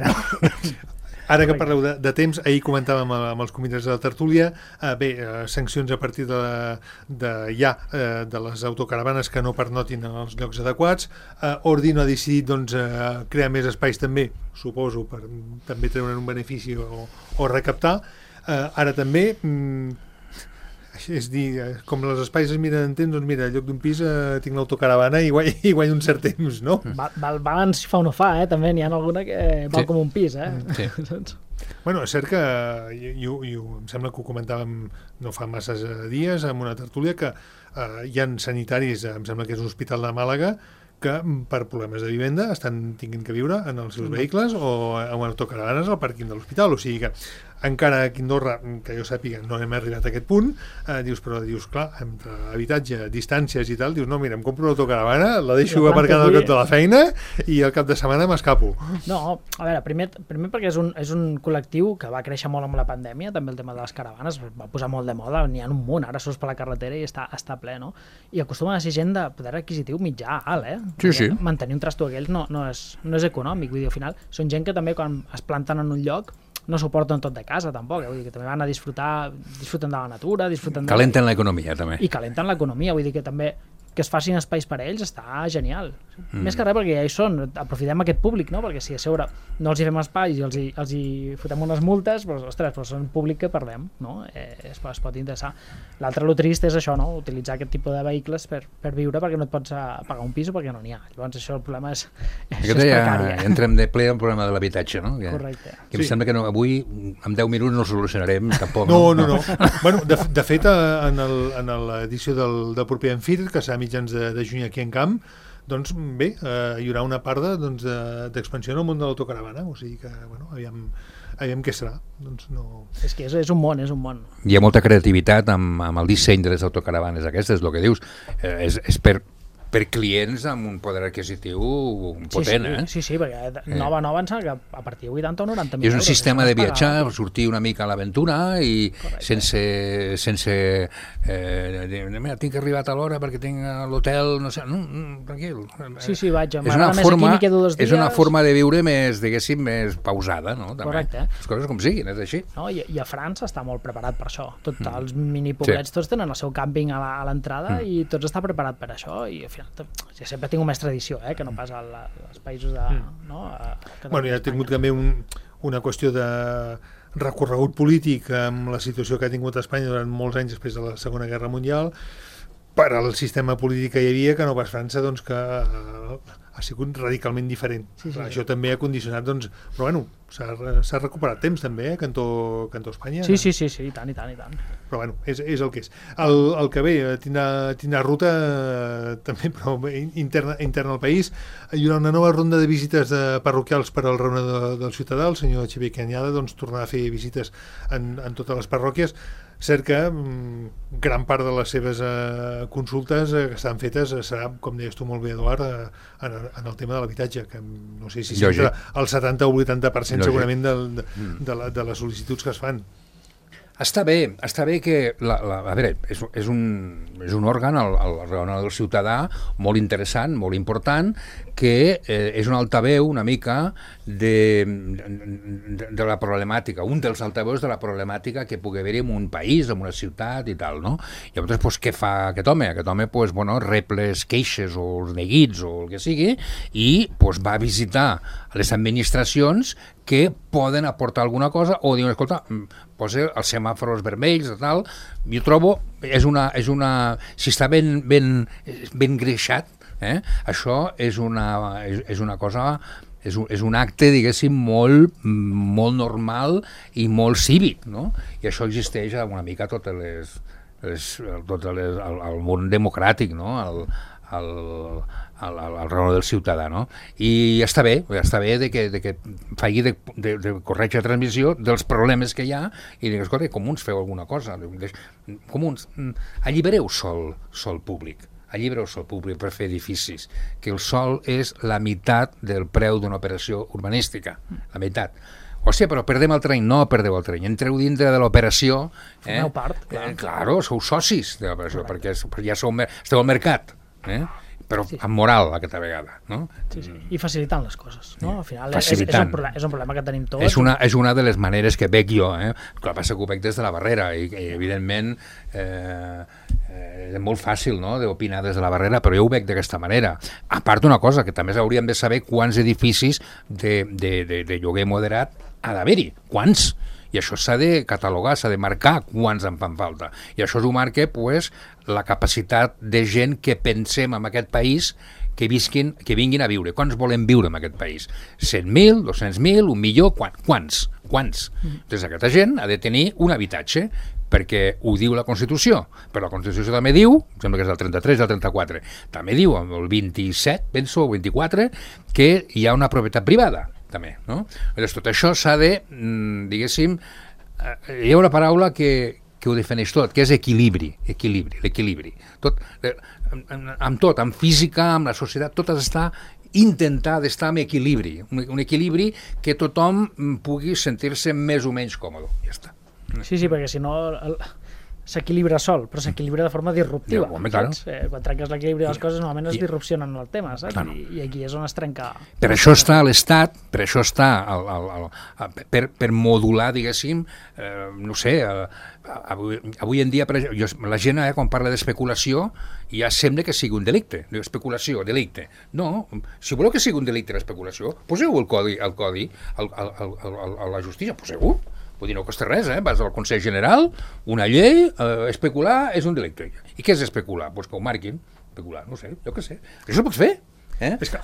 Ara que parleu de temps, ahir comentàvem amb els convidats de la tertúlia, sancions a partir de les autocaravanes que no pernotin en els llocs adequats. Ordino ha decidit crear més espais també, suposo, per també treure un benefici o recaptar. Ara també... és dir, com els espais es miren en temps, doncs mira, en lloc d'un pis tinc l'autocaravana i guanyo un cert temps, no? Val si fa o no fa, també n'hi ha alguna que val com un pis, Sí. Bueno, és cert que em sembla que ho comentàvem no fa masses dies amb una tertúlia que hi ha sanitaris, em sembla que és un hospital de Màlaga, que per problemes de vivenda tinguin que viure en els seus vehicles o en autocaravanes al pàrquing de l'hospital, o sigui que encara aquí a Andorra, que jo sàpiga, no hem arribat a aquest punt, dius, clar, entre habitatge, distàncies i tal, dius, no, mira, em compro l'autocaravana, la deixo aparcada al cap de la feina i al cap de setmana m'escapo. No, a veure, primer perquè és un col·lectiu que va créixer molt amb la pandèmia, també el tema de les caravanes va posar molt de moda, n'hi ha un munt, ara surts per la carretera i està ple, no? I acostumen a ser gent de poder adquisitiu mitjà alt, Sí. Mantenir un trasto aquells no és econòmic, vull dir, al final són gent que també quan es planten en un lloc no suporten tot de casa, tampoc, vull dir que també van a disfruten de la natura, calenten l'economia, també. I calenten l'economia, vull dir que també que es facin espais per a ells està genial. Més que res perquè ja hi són, aprofitem aquest públic, no? Perquè si a sobre no els hi fem espais i els hi fotem unes multes, doncs, ostres, però són públic que perdem, no? Es pot interessar. L'altre, lo trist és això, no? Utilitzar aquest tipus de vehicles per viure perquè no et pots pagar un pis o perquè no n'hi ha. Llavors això el problema és precari. Ja entrem de ple al problema de l'habitatge, no? Correcte. Que em sembla que avui, en 10 minuts, no el solucionarem tampoc. No. Bueno, de fet, en l'edició del proper Enfir, que serà mitjans de juny aquí en Camp, doncs bé, hi haurà una part d'expansió en el món de l'autocaravana, o sigui que, bueno, aviam què serà. Doncs no... És que és un món, Hi ha molta creativitat amb el disseny de les autocaravanes aquestes, el que dius, és per clients amb un poder adquisitiu potent, Sí, perquè nova em sembla que a partir de 80 o 90 mil euros. És un sistema de viatjar, sortir una mica a l'aventura i sense mira, tinc arribat a l'hora perquè tinc l'hotel, no sé, tranquil. Sí, vaig, m'agrada més aquí, m'hi quedo 2 dies. És una forma de viure més, diguéssim, més pausada, no? Correcte. Les coses com siguin, és així. No, i a França està molt preparat per això. Tots els minipoblets, tots tenen el seu càmping a l'entrada i tots està preparat per això i al final ja sempre tinc més tradició que no pas als països de... Bueno, ja ha tingut també una qüestió de recorregut polític amb la situació que ha tingut Espanya durant molts anys després de la Segona Guerra Mundial per al sistema polític que hi havia, que no pas França, doncs que ha sigut radicalment diferent. Sí. Això també ha condicionat, doncs, però bueno, s'ha recuperat temps també, cantó Espanya. Sí, i tant. Però bueno, és el que és. El que ve, tindrà ruta també, però interna al país. Hi haurà una nova ronda de visites parroquials per al reunador del ciutadà, el senyor Xavier Canyada, doncs tornarà a fer visites en totes les parròquies. Cert que gran part de les seves consultes que estan fetes serà, com deies tu molt bé, Eduard, en el tema de l'habitatge, que no sé si sempre el 70 o 80% segurament de les sol·licituds que es fan. Està bé que, a veure, és un òrgan, el reunador del ciutadà, molt interessant, molt important, que és un altaveu una mica de la problemàtica, un dels altaveus de la problemàtica que pugui haver-hi en un país, en una ciutat i tal, no? I llavors, doncs, què fa aquest home? Aquest home, doncs, bueno, rep les queixes o els neguits o el que sigui i doncs, va a visitar les administracions que poden aportar alguna cosa o diuen, escolta, posa els semàfors vermells i tal. Jo trobo, si està ben greixat, això és una cosa, és un acte, diguéssim, molt normal i molt cívic, no? I això existeix una mica a tot el món democràtic, no? al reunador del ciutadà, no? I està bé de que faci de corretja transmissió dels problemes que hi ha i digues, escolta, comuns, feu alguna cosa. Comuns, allibereu sol públic per fer edificis, que el sol és la meitat del preu d'una operació urbanística, la meitat. Hòstia, però perdem el terreny. No perdeu el terreny, entreu dintre de l'operació. Formeu part, clar. Claro, sou socis de l'operació, perquè ja esteu al mercat. però amb moral aquesta vegada, no? Sí. I facilitant les coses, no? Al final és un problema que tenim tots. És una de les maneres que veig jo, el que passa que ho veig des de la barrera i evidentment és molt fàcil, no?, d'opinar des de la barrera, però jo ho veig d'aquesta manera. A part d'una cosa, que també hauríem de saber quants edificis de lloguer moderat ha d'haver-hi, quants? I això s'ha de catalogar, s'ha de marcar quants en fan falta. I això ho marca la capacitat de gent que pensem en aquest país que vinguin a viure. Quants volem viure en aquest país? 100.000, 200.000, 1.000.000? Quants? Doncs aquesta gent ha de tenir un habitatge, perquè ho diu la Constitució, però la Constitució també diu, sembla que és del 33 del 34, també diu, el 27, penso, o 24, que hi ha una propietat privada, també, no? Llavors, tot això s'ha de, diguéssim, hi ha una paraula que ho defineix tot, que és l'equilibri. Tot, amb tot, amb física, amb la societat, tot està intentar d'estar en equilibri, un equilibri que tothom pugui sentir-se més o menys còmode, ja està. Sí, perquè si no s'equilibra sol, però s'equilibra de forma disruptiva. Home, claro. Quan trenques l'equilibri de les coses, normalment es disrupcionen el tema, saps? Claro. I aquí és on es trenca. Per això està l'Estat, per això està per modular, diguéssim, no sé, avui en dia la gent quan parla d'especulació ja sembla que sigui un delicte, especulació, delicte. No, si voleu que sigui un delicte l'especulació, poseu el codi a la justícia, poseu-ho. Vull dir, no costa res, vas al Consell General, una llei, especular és un delicte. I què és especular? Doncs que ho marquin, especular, no sé, jo què sé. Això ho pots fer? És que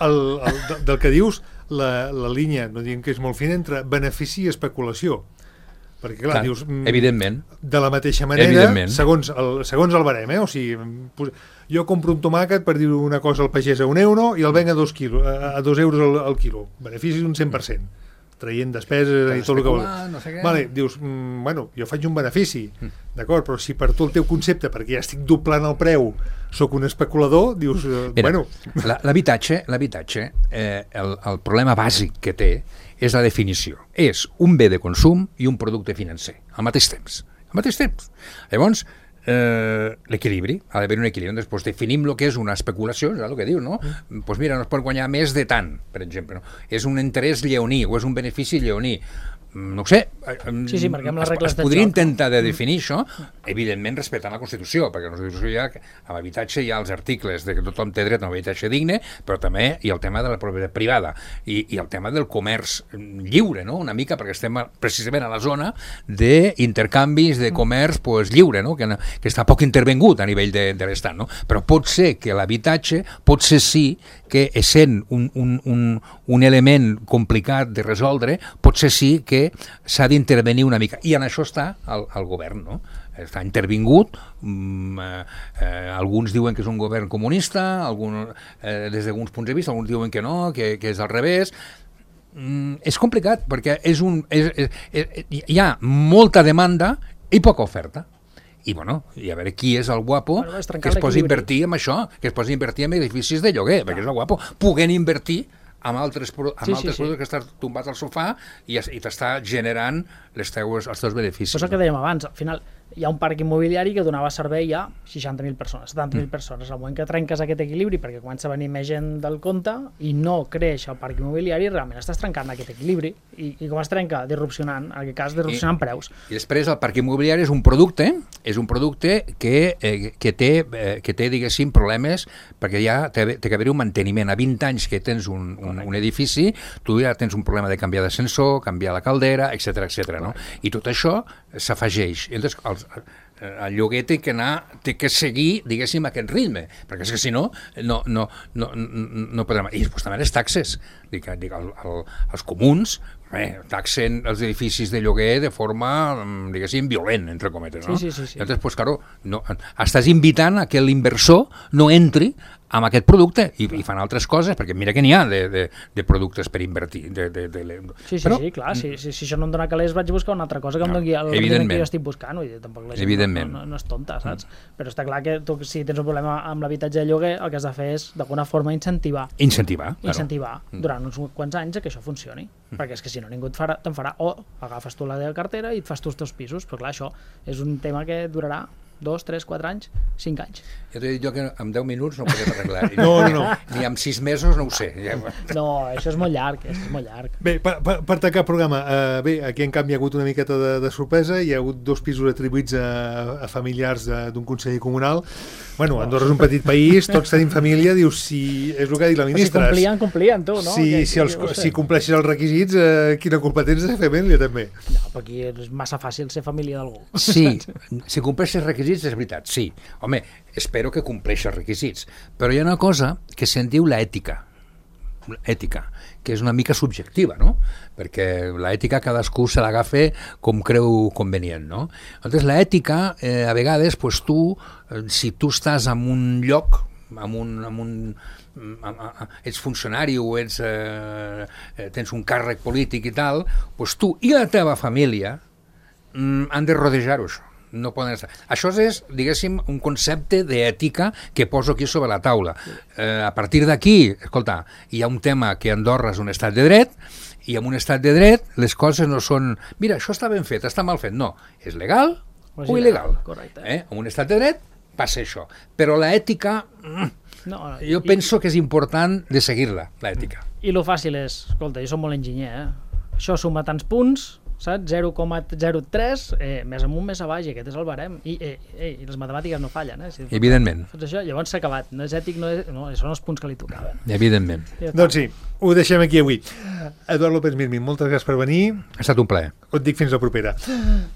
del que dius, la línia, no diguem que és molt fina, entre benefici i especulació. Perquè, clar, dius... Evidentment. De la mateixa manera, segons el barem, o sigui, jo compro un tomàquet, per dir una cosa, al pagès a €1 i el venc a 2 euros al quilo. Benefici d'un 100%. Traient despeses i tot el que vol. No sé vale, dius, bueno, jo faig un benefici, d'acord, però si per tu el teu concepte, perquè ja estic doblant el preu, sóc un especulador, dius, bueno... L'habitatge, el problema bàsic que té és la definició. És un bé de consum i un producte financer, al mateix temps. Llavors, l'equilibri, ha d'haver un equilibri. Després definim el que és una especulació, és el que diu, no? Doncs mira, no es pot guanyar més de tant, per exemple, no? És un interès lleoní o és un benefici lleoní. No ho sé, es podria intentar de definir això, evidentment respectant la Constitució, perquè la Constitució a l'habitatge hi ha els articles de que tothom té dret a un habitatge digne, però també hi ha el tema de la propietat privada i el tema del comerç lliure, no? Una mica, perquè estem precisament a la zona d'intercanvis de comerç lliure, no? Que està poc intervengut a nivell de l'Estat, no? Però pot ser que l'habitatge, potser sí que essent un element complicat de resoldre, potser sí que s'ha d'intervenir una mica, i en això està el govern, no? Està intervingut, alguns diuen que és un govern comunista, des d'alguns punts de vista, alguns diuen que no, que és al revés. És complicat, perquè hi ha molta demanda i poca oferta. I a veure qui és el guapo que es posi a invertir en això, que es posi a invertir en edificis de lloguer, perquè és el guapo, puguent invertir amb altres productes que estàs tombat al sofà i t'està generant els teus beneficis. Això que dèiem abans, al final hi ha un parc immobiliari que donava servei a 60.000 persones, 70.000 persones. Al moment que trenques aquest equilibri perquè comença a venir més gent del compte i no creix el parc immobiliari, realment estàs trencant aquest equilibri. I com es trenca? Disrupcionant, en aquest cas disrupcionant preus. I després el parc immobiliari és un producte que té, diguéssim, problemes, perquè ja té que haver un manteniment. A 20 anys que tens un edifici, tu ja tens un problema de canviar d'ascensor, canviar la caldera, etc, no? I tot això s'afegeix. Llavors, el lloguer té que seguir, diguéssim, aquest ritme, perquè és que si no podrem... I després també les taxes. Els comuns taxen els edificis de lloguer de forma, diguéssim, violent, entre cometes, no? Sí. Llavors, claro, estàs invitant a que l'inversor no entri amb aquest producte i fan altres coses, perquè mira que n'hi ha de productes per invertir. Sí, clar, si això no em dona calés vaig buscar una altra cosa que em doni el rendiment que jo estic buscant, tampoc la gent no és tonta, saps? Però està clar que tu, si tens un problema amb l'habitatge de lloguer, el que has de fer és d'alguna forma incentivar durant uns quants anys que això funcioni, perquè és que si no ningú te'n farà, o agafes tu la teva cartera i et fas tu els teus pisos, però clar, això és un tema que durarà 2, 3, 4 anys, 5 anys. Jo t'he dit que en 10 minuts no ho podem arreglar. No. Ni en 6 mesos no ho sé. No, això és molt llarg, Bé, per tancar el programa, aquí en canvi hi ha hagut una miqueta de sorpresa, hi ha hagut 2 pisos atribuïts a familiars d'un conseller comunal. Bueno, Andorra és un petit país, tots tenim família, dius, si és el que ha dit la ministra. Si complien, tu, no? Si compleixes els requisits, quina culpa tens de fer família, també? No, però aquí és massa fàcil ser família d'algú. Sí, si compleixes requisits és veritat, sí. Home, espero que compleixi els requisits. Però hi ha una cosa que se'n diu l'ètica, que és una mica subjectiva, no? Perquè l'ètica cadascú se l'agafa com creu convenient, no? Llavors, l'ètica, a vegades, pues, si tu estàs en un lloc, ets funcionari o tens un càrrec polític i tal, pues tu i la teva família han de rodejar-ho, això. No poden estar. Això és, diguéssim, un concepte d'ètica que poso aquí sobre la taula. A partir d'aquí, escolta, hi ha un tema que Andorra és un estat de dret, i en un estat de dret les coses no són, mira, això està ben fet, està mal fet. No, és legal o il·legal. Correcte. En un estat de dret passa això. Però l'ètica, jo penso que és important de seguir-la, l'ètica. I lo fàcil és, escolta, jo soc molt enginyer, això suma tants punts, saps? 0,03, més amunt, més avall, aquest és el barem. I les matemàtiques no fallen. Si evidentment. Fas això, llavors s'ha acabat. No és ètic, no, són els punts que li tocaven. Evidentment. Doncs sí, ho deixem aquí avui. Eduard López Mirmin, moltes gràcies per venir. Ha estat un plaer. Et dic fins la propera.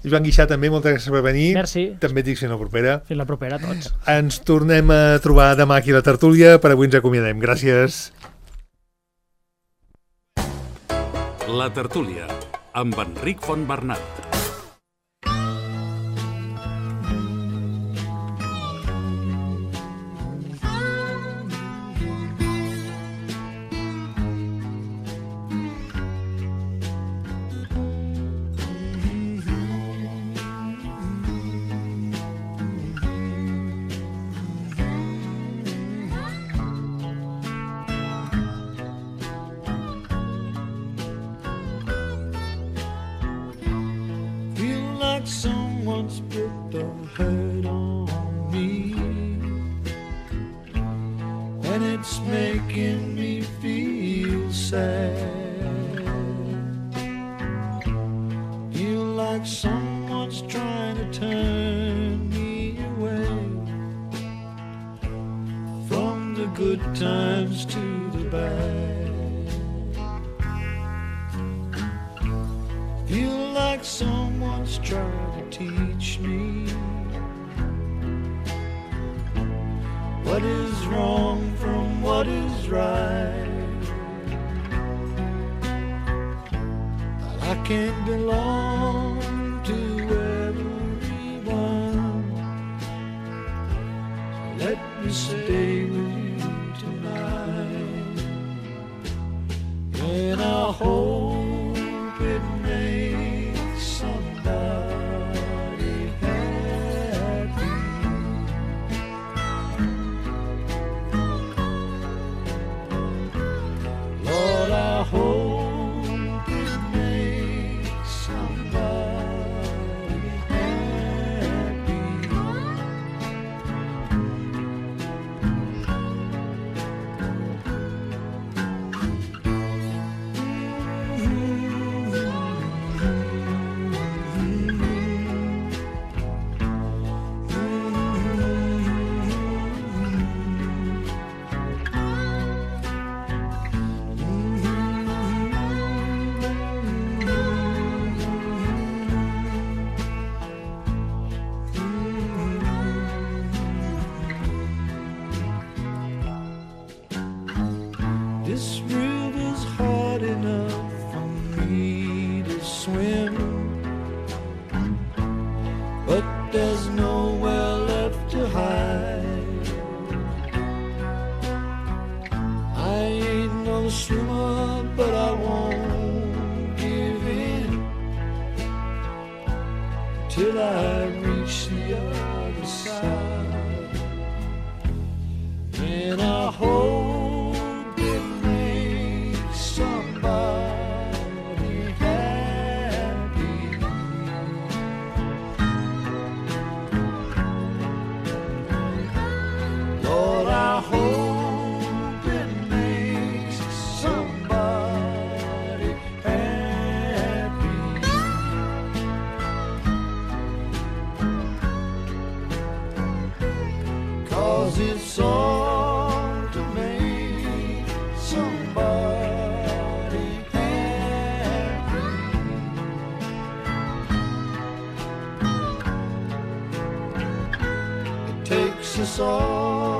Joan Guixà, també, moltes gràcies per venir. Merci. També et dic fins la propera. Fins la propera a tots. Ens tornem a trobar demà aquí a la tertúlia. Per avui ens acomiadem. Gràcies. La tertúlia amb Enric Fontbernat. Someone's put a hurt on me, and it's making me feel sad. Feel like someone's trying to turn me away from the good times to the bad. Feel like someone's trying to teach me what is wrong from what is right. But I can't belong to everyone, so let me stay with you tonight. And I hope it makes somebody happy. Lord, I hope it makes somebody happy. This river's hard enough for me to swim, but there's nowhere left to hide. I ain't no swimmer, but I won't give in till I reach the other side. And I hope it makes somebody happy. this song to make somebody happy. It takes us all